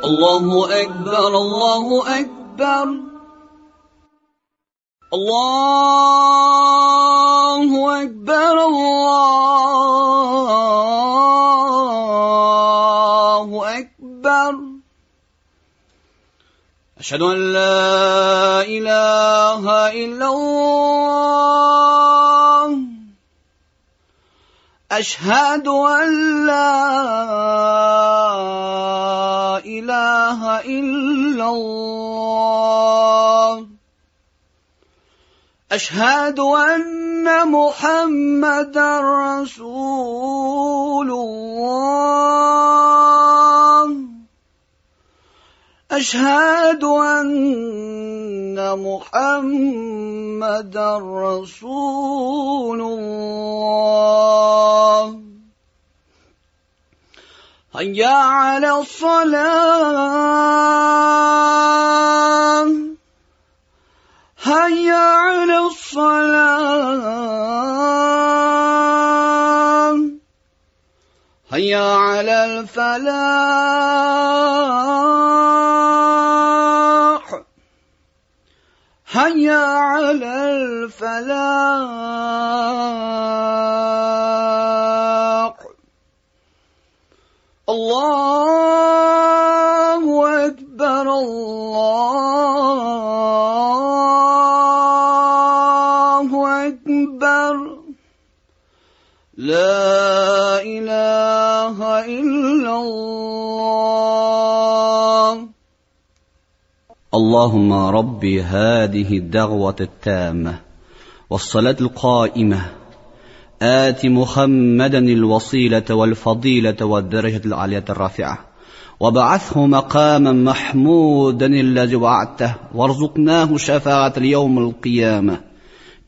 الله أكبر الله أكبر الله أكبر الله أكبر أشهد أن لا إله إلا الله أشهد أن لا إله إلا الله أشهد أن محمدا رسول الله أشهد أن محمدا رسول الله هيا على الصلاة هيا على الصلاة هيا على الفلاح هيا على الفلاح الله أكبر الله أكبر لا إله إلا الله اللهم رب هذه الدعوة التامة والصلاة القائمة آت محمدا الوسيلة والفضيلة والدرجة العالية الرافعة وابعثه مقاما محمودا الذي وعدته وارزقناه شفاعة اليوم القيامة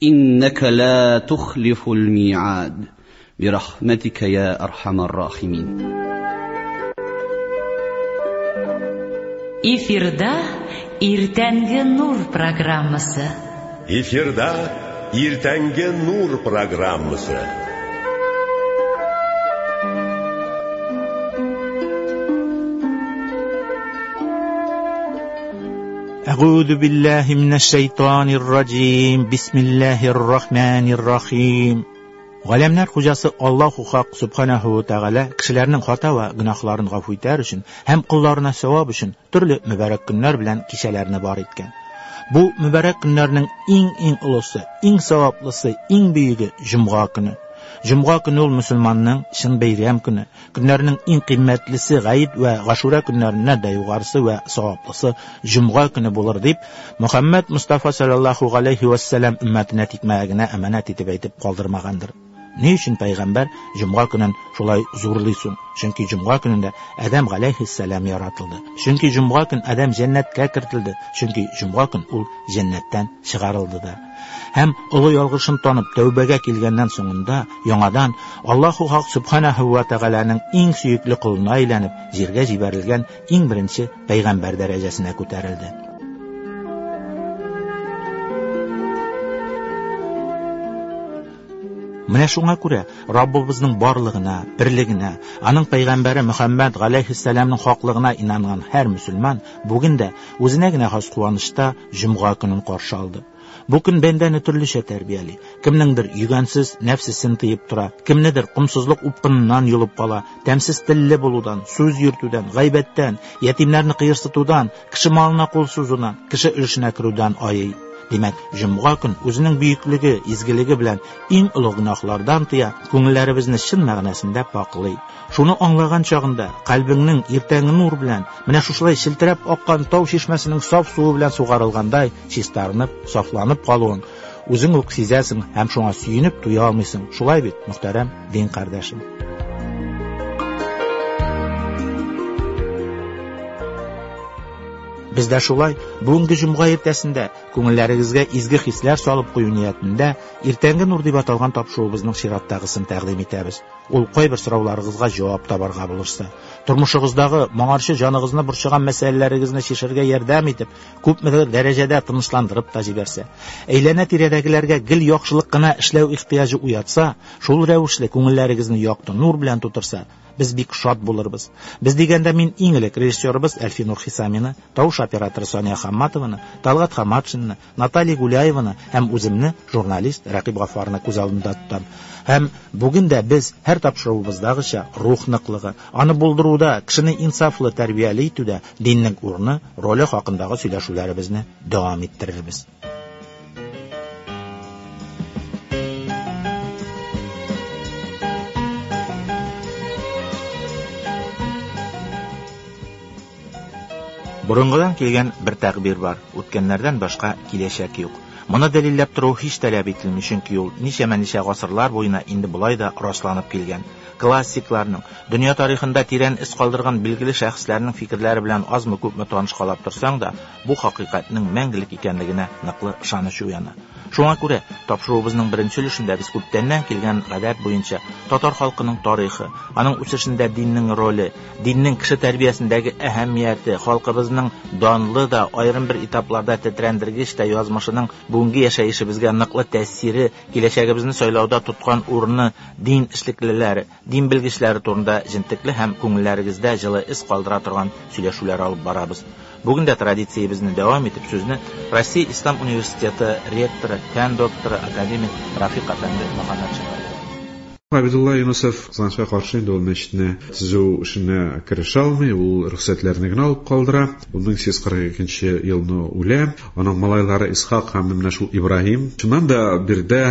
إنك لا تخلف الميعاد برحمتك يا أرحم الراحمين. Эфирда Иртәнге нур программасы. Эфирда Иртәнге нур программасы. أعوذ بالله من الشيطان الرجيم بسم الله الرحمن الرحيم Галәмнәр хуҗасы Аллаһу Хак Субханаһу ва Тәгалә кешеләрнең хата ва гөнаһларын гафу итәр өчен һәм колларына савап өчен төрле мөбарәк көннәр белән кичәләрне бар иткән. Бу мөбарәк көннәрнең иң-иң олысы, иң саваплысы, иң бөеге җомга көне. Җомга көне ул мөселманның чын бәйрәм көне. Көннәрнең иң кыйммәтлесе Гает вә Гашура көннәреннән дә югарысы вә саваплысы җомга көне булыр дип Мөхәммәд Мустафа саллаллаһу галәйһи вәссәлам өммәтенә тикмәгә генә әманәт итеп әйтеп калдырмагандыр. Ни өчен пәйгамбәр җомга көнен шулай зурлый соң? Чөнки җомга көнендә Адәм галәйһиссәлам яратылды. Чөнки җомга көн Адәм җәннәткә кертелде. Чөнки җомга көн ул җәннәттән чыгарылды да. Һәм олы ялгышын танып тәүбәгә килгәннән соңында яңадан Аллаһу Хак Субханаһу ва Тәгаләнең иң сөекле колына әйләнеп, җиргә җибәрелгән иң беренче пәйгамбәр дәрәҗәсенә күтәрелде. Менә шуңа күрә Раббыбызның барлыгына, берлегенә, аның пәйгамбәре Мөхәммәд галәйһиссәламның хаклыгына инанган һәр мөселман бүген дә үзенә генә хас куанычта җомга көнен каршы алды. Бу көн бәндәне төрлечә тәрбияли. Кемнеңдер йөгәнсез нәфсесен тыеп тора, кемнедер комсызлык упкыныннан йолып кала, тәмсез телле булудан, сүз йөртүдән, гайбәттән, ятимнәрне кыерсытудан, кеше малына кул сузудан, кеше өлешенә керүдән айый. Димәк, җомга көн үзенең бөеклеге, изгелеге белән иң олы гөнаһлардан тыя, күңелләребезне чын мәгънәсендә пакълый. Шуны аңлаган чагында кальбеңнең иртәнге нур белән, менә шушылай челтерәп аккан тау чишмәсенең саф суы белән сугарылгандай чистарынып, сафланып калуын үзең үк сизәсең һәм шуңа сөенеп туя алмыйсың. Шулай бит, мөхтәрәм дин кардәшем. Без дә шулай бүгенге җомга иртәсендә күңелләрегезгә изге хисләр салып кую ниятендә Иртәнге нур дип аталган тапшыруыбызның чираттагысын тәкъдим итәбез. ул кайбер сорауларыгызга җавап табарга булышса, тормышыгыздагы моңарчы җаныгызны борчыган мәсьәләләрегезне чишәргә ярдәм итеп, күпмедер дәрәҗәдә тынычландырып та җибәрсә, әйләнә-тирәдәгеләргә гел яхшылык кына эшләү ихтыяҗы уятса, шул рәвешле күңелләрегезне якты нур белән тутырса, без бик шат булырбыз. Без дигәндә мин иң элек режиссерыбыз Әлфинур Хисамины, тавыш операторы Сания Хамматованы, Талгат Хаматшинны, Наталья Гуляеваны һәм үземне, журналист Рәкыйп Гаффарны күз алдында тотам. Һәм бүген дә без һәр тапшыруыбыздагыча рух ныклыгы, аны булдыруда, кешене инсафлы тәрбияле итүдә диннең урыны, роле хакындагы сөйләшүләребезне дәвам иттерербез. Борынгыдан килгән бер тәгъбир бар: үткәннәрдән башка киләчәк юк. Моны дәлилләп тору һич таләп ителми, чөнки ул ничәмә-ничә гасырлар буена инде болай да расланып килгән. Классикларның, дөнья тарихында тирән эз калдырган билгеле шәхесләрнең фикерләре белән азмы-күпме танышкалап торсаң да, бу хакыйкатьнең мәңгелек икәнлегенә ныклы ышаныч уяна. Шуңа күрә тапшыруыбызның беренче өлешендә без күптәннән килгән гадәт буенча татар халкының тарихы, аның үсешендә диннең роле, диннең кеше тәрбиясендәге әһәмияте, халкыбызның данлы да, аерым бер этапларда тетрәндергеч тә язмышының бүгенге яшәешебезгә ныклы тәэсире, киләчәгебезне сайлауда тоткан урыны, дин эшлеклеләре, дин белгечләре турында җентекле һәм күңелләрегездә җылы эз калдыра торган сөйләшүләр алып барабыз. Бүген дә традициябезне дәвам итеп сүзне Россия Ислам университеты ректоры, фән докторы, академик Рафик әфәнде Мөхәммәтшинга бирәм. Габидулла Юнусов кызганычка каршы инде ул мәчетне төзү эшенә керешә алмый, ул рөхсәтләрне генә алып калдыра. Ул 1842 елны үлә. Аның малайлары Исхак һәм менә шул Ибраһим. Чыннан да биредә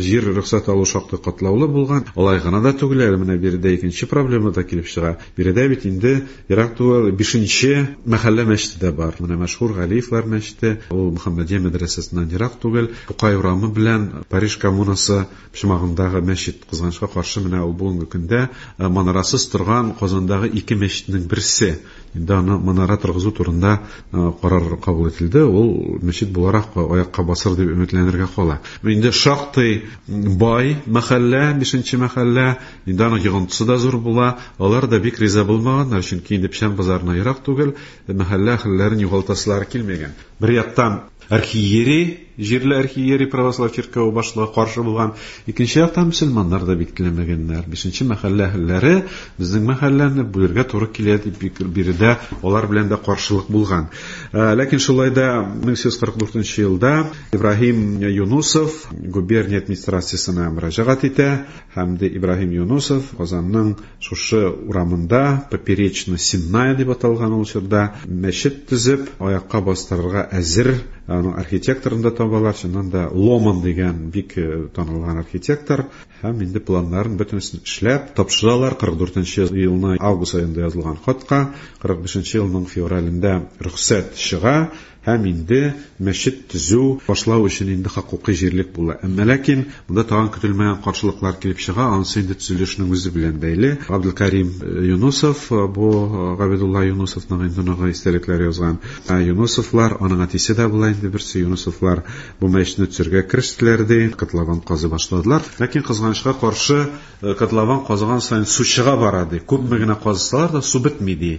җир рөхсәт алу шактый катлаулы булган. Алай гына да түгел, әле менә биредә икенче проблема да килеп чыга. Биредә бит инде ерак түгел бишенче мәхәллә мәчете дә бар. Менә мәшһүр Галиевләр мәчете, ул Мөхәммәдия мәдрәсәсеннән ерак түгел. Тукай урамы белән Париж коммунасы почмагындагы мәчет, кызганычка каршы, менә ул бүгенге көндә манарасыз торган Казандагы ике мәчетнең берсе. Инде аны манара торгызу турында карар кабул ителде. Ул мәчет буларак аякка басыр дип өметләнергә кала. Инде шактый бай мәхәллә, бишенче мәхәллә, инде аның йогынтысы да зур була. Алар да бик риза булмаганнар, чөнки инде Печән базарына ерак түгел, мәхәллә әһелләрен югалтасылары килмәгән. Бер яктан архиерей, җирле архиерей православ чиркәве башлыгы каршы булган, икенче яктан мөселманнар да бик теләмәгәннәр. Бишенче мәхәллә әһелләре безнең мәхәлләне бүлергә туры килә дип бик биредә алар белән дә каршылык булган. Ләкин шулай да 1844 елда Ибраһим Юнусов губерния администрациясенә мөрәҗәгать итә һәм дә Ибраһим Юнусов Казанның шушы урамында Поперечно-Сенная дип аталган ул чорда мәчет төзеп аякка бастырырга әзер. Аның архитекторын да табалар, чыннан да Ломан дигән бик танылган архитектор, һәм инде планнарын бөтенесен эшләп тапшыралар. 44 елны август аенда язылган хатка 45 елның февралендә рөхсәт чыга, һәм инде мәчет төзү башлау өчен инде хокукый җирлек була. Әмма ләкин монда тагын көтелмәгән каршылыклар килеп чыга, анысы инде төзелешнең үзе белән бәйле. Абдулкарим Юнусов, бу Габидулла Юнусовның инде оныгы истәлекләр язган. Юнусовлар, аның әтисе дә була инде берсе, Юнусовлар бу мәчетне төзергә керештеләр ди, котлован казый башладылар. Ләкин кызганычка каршы, котлован казыган саен су чыга бара ди. Күпме генә казысалар да су бетми ди.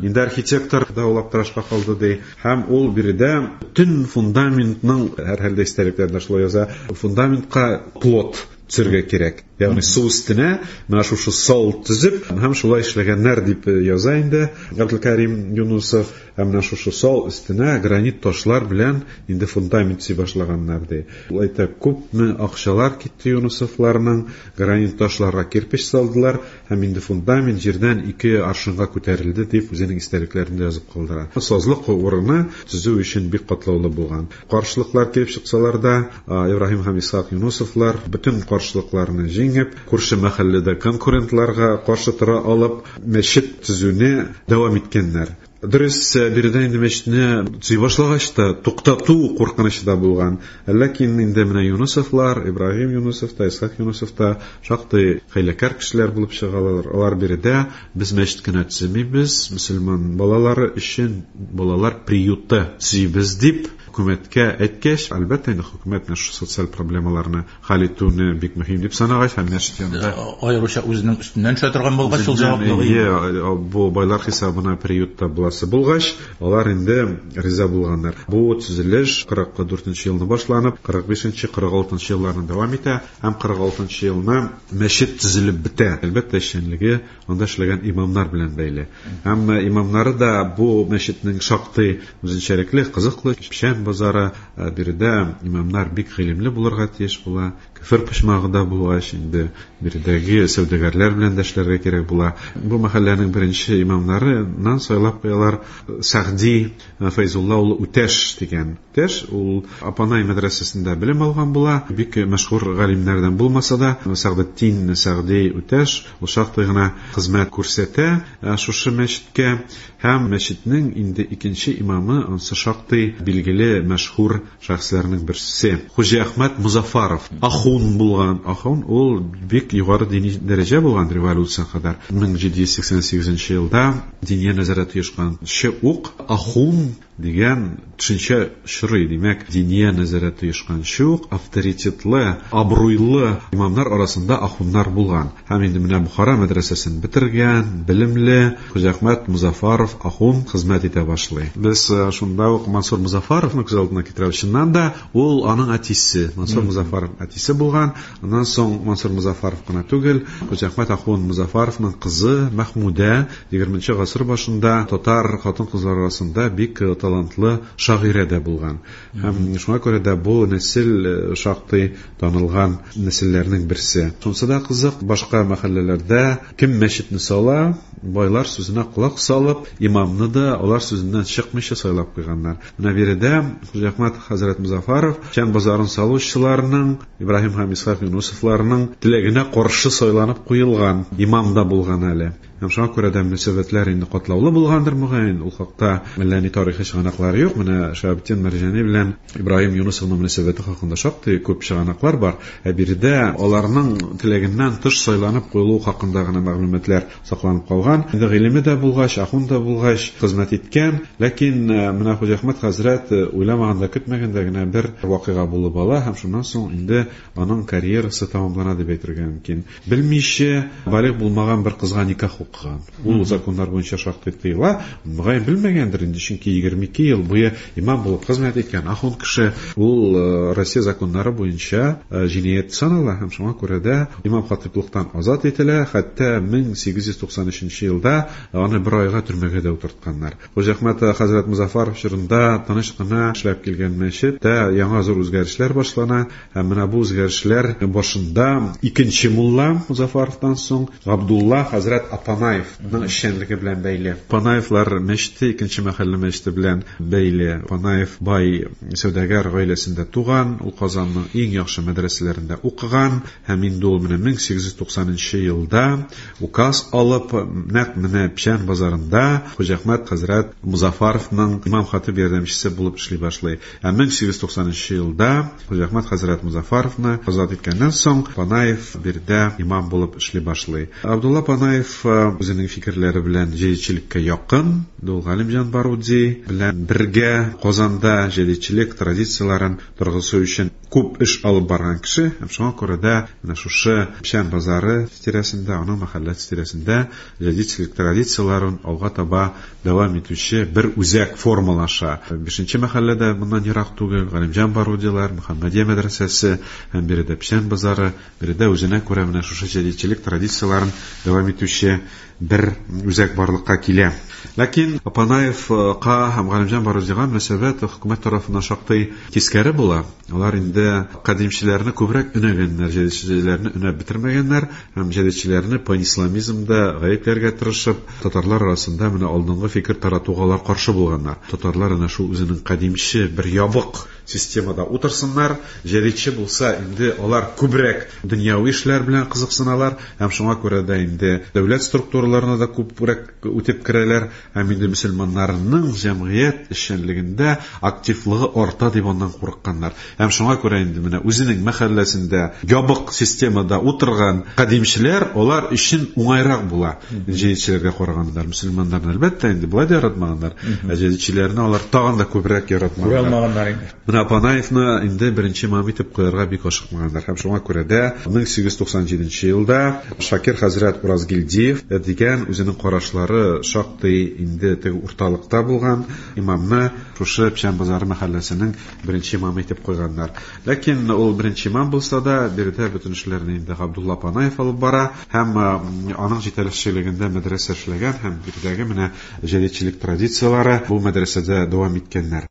Инде архитектор да ул аптырашка калды ди. Һәм ул биредә төн фундаментның, һәрхәлдә истәлекләрдә шулай яза, фундаментка плот төзергә кирәк. Ягъни су өстенә менә шушы сал төзеп, һәм шулай эшләгәннәр дип яза инде Абдулкарим Юнусов. Һәм менә шушы сал өстенә гранит ташлар белән инде фундамент төзи башлаганнар ди. Ул әйтә, күпме акчалар китте Юнусовларның, гранит ташларга кирпеч салдылар, һәм инде фундамент җирдән 2 аршынга күтәрелде дип үзенең истәлекләрендә язып калдыра. Сазлык урыны төзү өчен бик катлаулы булган. Каршылыклар килеп чыксалар да, Ибраһим һәм Исхак Юнусовлар бөтен каршылыкларны җиңеп, күрше мәхәлләдә конкурентларга каршы тора алып, мәчет төзүне дәвам иткәннәр. Дөрес, биредә инде мәчетне төзи башлагач та туктату куркынычы да булган. Ләкин инде менә Юнусовлар, Ибраһим Юнусов та, Исхак Юнусов та шактый хәйләкәр кешеләр булып чыгалар. Алар биредә без мәчет кенә төземибез, мөселман балалары өчен балалар приюты төзибез дип Хөкүмәткә әйткәч, әлбәттә инде хөкүмәт менә шушы социаль проблемаларны хәл итүне бик мөһим дип санагач һәм мәчет янында аеруча үзенең өстеннән төшә торган булгач, шул җаваплылыгы. Ие, бу байлар хисабына приютта буласы булгач, алар инде риза булганнар. Бу төзелеш 44 елны башланып, 45-46 елларны дәвам итә һәм 46 елны мәчет төзелеп бетә. Әлбәттә, эшчәнлеге анда эшләгән имамнар белән бәйле. Һәм имамнары да бу мәчетнең шактый үзенчәлекле, кызыклы. Печән базары, биредә имамнар бик гыйлемле булырга тиеш була. Көфер почмагы да булгач, инде биредәге сәүдәгәрләр белән дә эшләргә кирәк була. Бу мәхәлләнең беренче имамнарыннан сайлап куялар Сәгъди Фәйзулла улы Үтәш дигән. Үтәш ул Апанай мәдрәсәсендә белем алган була. Бик мәшһүр галимнәрдән булмаса да, Сәгъдетдин Сәгъди Үтәш ул шактый гына хезмәт күрсәтә шушы мәчеткә һәм мәчетнең инде икенче имамы ансы шактый билгеле мәшһүр шәхесләрнең берсе. Хуҗиәхмәт Мозаффаров ахун булган. Ахун ул бик югары дини дәрәҗә булган революция кадәр. 1788 елда Диния нәзарәте оешканчы ук ахун дигән төшенчә очрый. Димәк, Диния нәзарәте оешканчы ук авторитетлы, абруйлы имамнар арасында ахуннар булган. Һәм инде менә Бохара мәдрәсәсен бетергән, белемле Хуҗиәхмәт Мозаффаров ахун хезмәт итә башлый. Без шунда ук Мансур Мозаффаровны күз алдына китерәбез. Чыннан да, ул аның әтисе, Мансур Мозаффаров әтисе булган. Аннан соң Мансур Мозаффаров кына түгел, Хуҗиәхмәт ахун Мозаффаровның кызы Мәхмүдә 20 гасыр башында татар хатын-кызлар арасында бик талантлы шагыйрә дә булган. Һәм шуңа күрә дә бу нәсел шактый танылган нәселләрнең берсе. Шунысы да кызык, башка мәхәлләләрдә кем мәчетне сала, байлар сүзенә колак салып, имамны да алар сүзеннән чыкмыйча сайлап куйганнар. Менә биредә Хуҗиәхмәт хәзрәт Мозаффаров Печән базарын салучыларның, Ибраһим һәм Исхак Юнусовларның теләгенә каршы сайланып куелган имам да булган әле. Һәм шуңа күрә дә мөнәсәбәтләр инде катлаулы булгандыр, мөгаен. Ул хакта әллә ни тарихи чыганаклар юк. Менә Шәһабетдин Мәрҗани белән Ибраһим Юнусовның мөнәсәбәте хакында шактый күп чыганаклар бар. Ә биредә аларның теләгеннән тыш сайланып куелуы хакында гына мәгълүматлар сакланып калган. Инде гыйлеме дә булгач, ахун да булгач, хезмәт иткән. Ләкин менә Хуҗиәхмәт хәзрәт уйламаганда, көтмәгәндә генә бер вакыйга булып ала һәм шуннан соң инде аның карьерасы тәмамлана дип әйтергә мөмкин. Белмичә, балигъ булмаган бер кызга никах укыган. Ул законнар буенча шактый тыела. Мөгаен белмәгәндер инде, чөнки 22 ел буе имам булып хезмәт иткән ахун кеше, ул Россия законнары буенча җинаять санала һәм шуңа күрә дә имам хатиплыктан азат ителә. Хәтта 1893 елда аны бер айга төрмәгә дә утыртканнар. Хуҗиәхмәт хәзрәт Мозаффаров чорында тыныч кына эшләп килгән мәчеттә яңа зур үзгәрешләр башлана. Һәм менә бу үзгәрешләр башында икенче мулла Мозаффаровтан соң Габдулла хәзрәт Апанаевның эшчәнлеге белән бәйле. Апанаевлар мәчете икенче мәхәллә мәчете белән бәйле. Апанаев бай сәүдәгәр гаиләсендә туган, ул Казанның иң яхшы мәдрәсәләрендә укыган һәм инде ул менә 1890 елда указ алып, нәкъ менә Печән базарында Хуҗиәхмәт хәзрәт Мозаффаровның имам хатиб ярдәмчесе булып эшли башлый. Ә 1893 елда Хуҗиәхмәт хәзрәт Мозаффаровны азат иткәннән соң Панаев биредә имам булып эшли башлый. Абдулла Панаев үзенең фикерләре белән җәдитчелеккә якын, ул Галимҗан Баруди белән бергә Казанда җәдитчелек традицияләрен торгызу өчен күп эш алып барган кеше, һәм шуңа күрә дә менә шушы Печән базары тирәсендә, аның мәхәлләсе тирәсендә җәдитчелек традицияләрен алга таба дәвам итүче бер үзәк формалаша. Бишенче мәхәлләдә моннан ерак түгел, Галимҗан Барудилар, Мөхәммәдия мәдрәсәсе һәм биредә Печән базары, биредә үзенә күрә менә шушы җәдитчелек традицияләрен дәвам итүче бер үзәк барлыкка килә. Ләкин Апанаевка һәм Галимҗан Барудига мөнәсәбәт хөкүмәт тарафыннан шактый тискәре була. Алар инде кадимчеләрне күбрәк өнәгәннәр, җәдитчеләрне өнәп бетермәгәннәр һәм җәдитчеләрне панисламизмда гаепләргә тырышып, татарлар арасында менә алдынгы фикер таратуга алар каршы булганнар. Татарлар әнә шул үзенең кадимче бер ябык системада утырсыннар, җәдитче булса инде алар күбрәк дөньяви эшләр белән кызыксыналар һәм шуңа күрә дә инде дәүләт структуралары араларына да күбрәк үтеп керәләр һәм инде мөселманнарның җәмгыять эшчәнлегендә активлыгы арта дип аннан курыкканнар. Һәм шуңа күрә инде менә үзенең мәхәлләсендә ябык системада утырган кадимчеләр алар өчен уңайрак була. Җәдитчеләргә караганда мөселманнарны әлбәттә инде болай да яратмаганнар, ә җәдитчеләрне алар тагын да күбрәк яратмаганнар. Күрә алмаганнар инде. Менә Панаевны инде беренче имам итеп куярга бик ашыкмаганнар. Һәм шуңа күрә дә 1897 елда Шакир хәзрәт Уразгилдиев дигән үзенең карашлары шактый инде теге урталыкта булган имамны шушы Печән базары мәхәлләсенең беренче имамы итеп куйганнар. Ләкин ул беренче имам булса да, биредә бөтен эшләрне инде Габдулла Панаев алып бара һәм аның җитәкчелегендә мәдрәсә эшләгән һәм биредәге менә җәдитчелек традицияләре бу мәдрәсәдә дәвам иткәннәр.